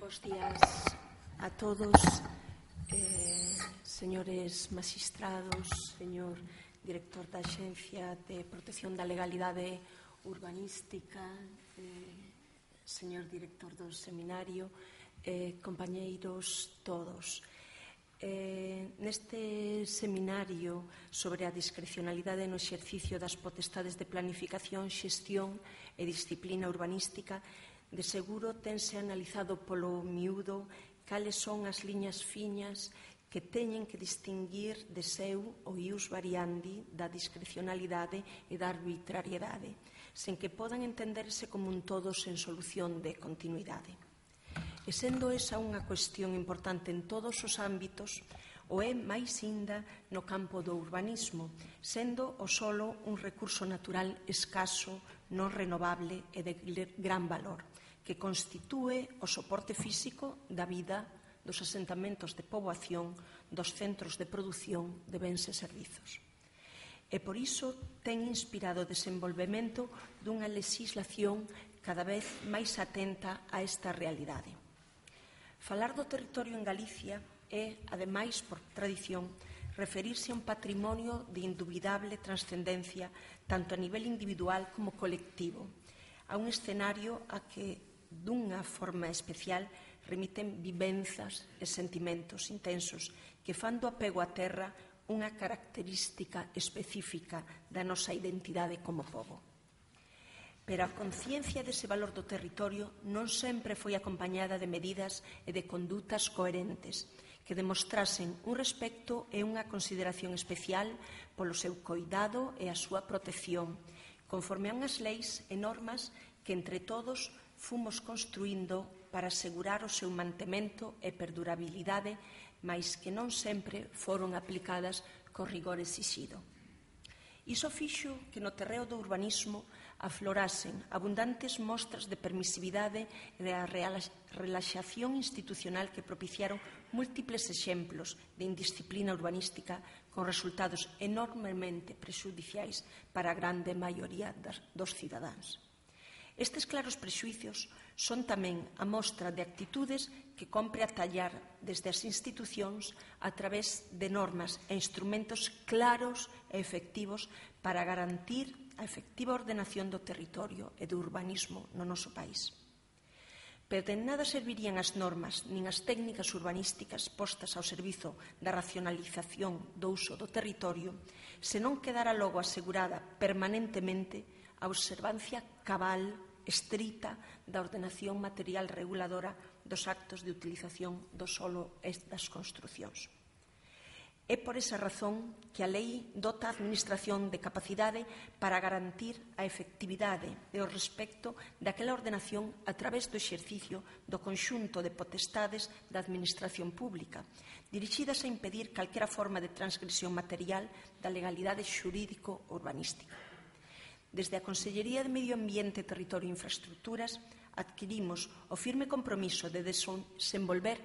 Bos días a todos, señores magistrados, señor director da Axencia de Protección da Legalidade Urbanística, señor director do seminario, compañeiros todos. Neste seminario sobre a discrecionalidade no exercicio das potestades de planificación, xestión e disciplina urbanística, de seguro tense analizado polo miúdo cales son as liñas fiñas que teñen que distinguir de seu o ius variandi da discrecionalidade e da arbitrariedade, sen que podan entenderse como un todo sen solución de continuidade. E sendo esa unha cuestión importante en todos os ámbitos, o é máis inda no campo do urbanismo, sendo o solo un recurso natural escaso, non renovable e de gran valor, que constitúe o soporte físico da vida dos asentamentos de poboación, dos centros de produción de bens e servizos. E por iso ten inspirado o desenvolvemento dunha legislación cada vez máis atenta a esta realidade. Falar do territorio en Galicia é, ademais, por tradición, referirse a un patrimonio de indubidable transcendencia tanto a nivel individual como colectivo, a un escenario a que, dunha forma especial, remiten vivenzas e sentimentos intensos que fan do apego á terra unha característica específica da nosa identidade como pobo. Pero a conciencia dese valor do territorio non sempre foi acompañada de medidas e de condutas coherentes que demostrasen un respecto e unha consideración especial polo seu coidado e a súa protección, conforme a unhas leis e normas que entre todos fomos construindo para asegurar o seu mantemento e perdurabilidade, mais que non sempre foron aplicadas co rigor exixido. Iso fixo que no terreo do urbanismo aflorasen abundantes mostras de permisividade e a relaxación institucional que propiciaron múltiples exemplos de indisciplina urbanística con resultados enormemente prexudiciais para a grande maioría dos cidadáns. Estes claros prexuicios son tamén a mostra de actitudes que compre atallar desde as institucións a través de normas e instrumentos claros e efectivos para garantir a efectiva ordenación do territorio e do urbanismo no noso país. Pero de nada servirían as normas nin as técnicas urbanísticas postas ao servizo da racionalización do uso do territorio se non quedara logo asegurada permanentemente a observancia cabal, estrita, da ordenación material reguladora dos actos de utilización do solo e das construcións. É por esa razón que a lei dota a Administración de capacidade para garantir a efectividade e o respecto daquela ordenación a través do exercicio do conxunto de potestades da Administración pública, dirixidas a impedir calquera forma de transgresión material da legalidade xurídico-urbanística. Desde a Consellería de Medio Ambiente, Territorio e Infraestructuras adquirimos o firme compromiso de desenvolver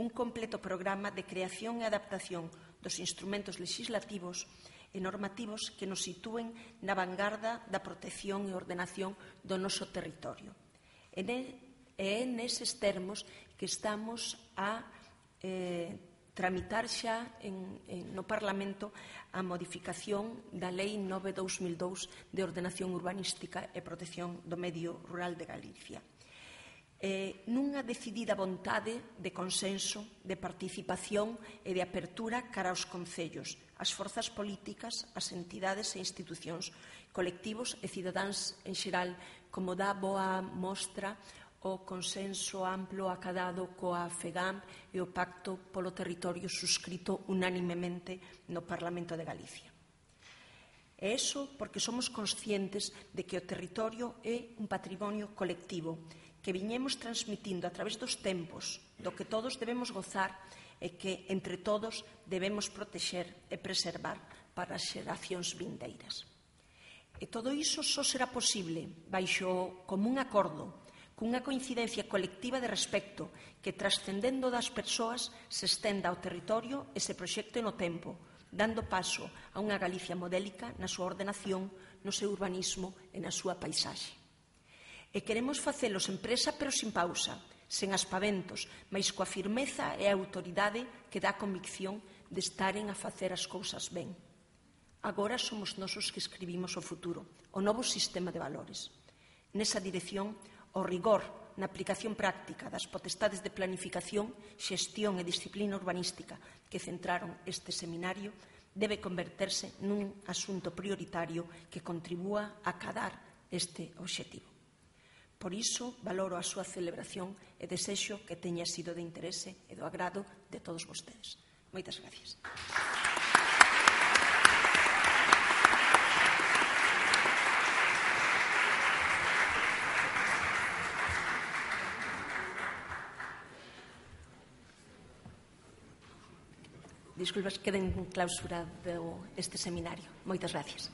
un completo programa de creación e adaptación dos instrumentos legislativos e normativos que nos sitúen na vanguarda da protección e ordenación do noso territorio. E é neses termos que estamos a tramitar xa no Parlamento a modificación da Lei 9/2002 de Ordenación Urbanística e Protección do Medio Rural de Galicia. Nunha decidida vontade de consenso, de participación e de apertura cara aos concellos, as forzas políticas, as entidades e institucións, colectivos e cidadáns en xeral, como dá boa mostra o consenso amplo acadado coa FEGAM e o Pacto polo Territorio suscrito unánimemente no Parlamento de Galicia. E iso porque somos conscientes de que o territorio é un patrimonio colectivo que viñemos transmitindo a través dos tempos, do que todos debemos gozar e que, entre todos, debemos protexer e preservar para as xeracións vindeiras. E todo iso só será posible baixo o común acordo, cunha coincidencia colectiva de respecto que, trascendendo das persoas, se estenda ao territorio e se proxecte no tempo, dando paso a unha Galicia modélica na súa ordenación, no seu urbanismo e na súa paisaxe. E queremos facelo sen presa pero sin pausa, sen aspaventos, mais coa firmeza e a autoridade que dá convicción de estaren a facer as cousas ben. Agora somos nós os que escribimos o futuro, o novo sistema de valores. Nesa dirección, o rigor na aplicación práctica das potestades de planificación, xestión e disciplina urbanística que centraron este seminario debe converterse nun asunto prioritario que contribúa a acadar este obxectivo. Por iso, valoro a súa celebración e desexo que teña sido de interese e do agrado de todos vostedes. Moitas gracias. Disculpas, queden clausurado este seminario. Moitas gracias.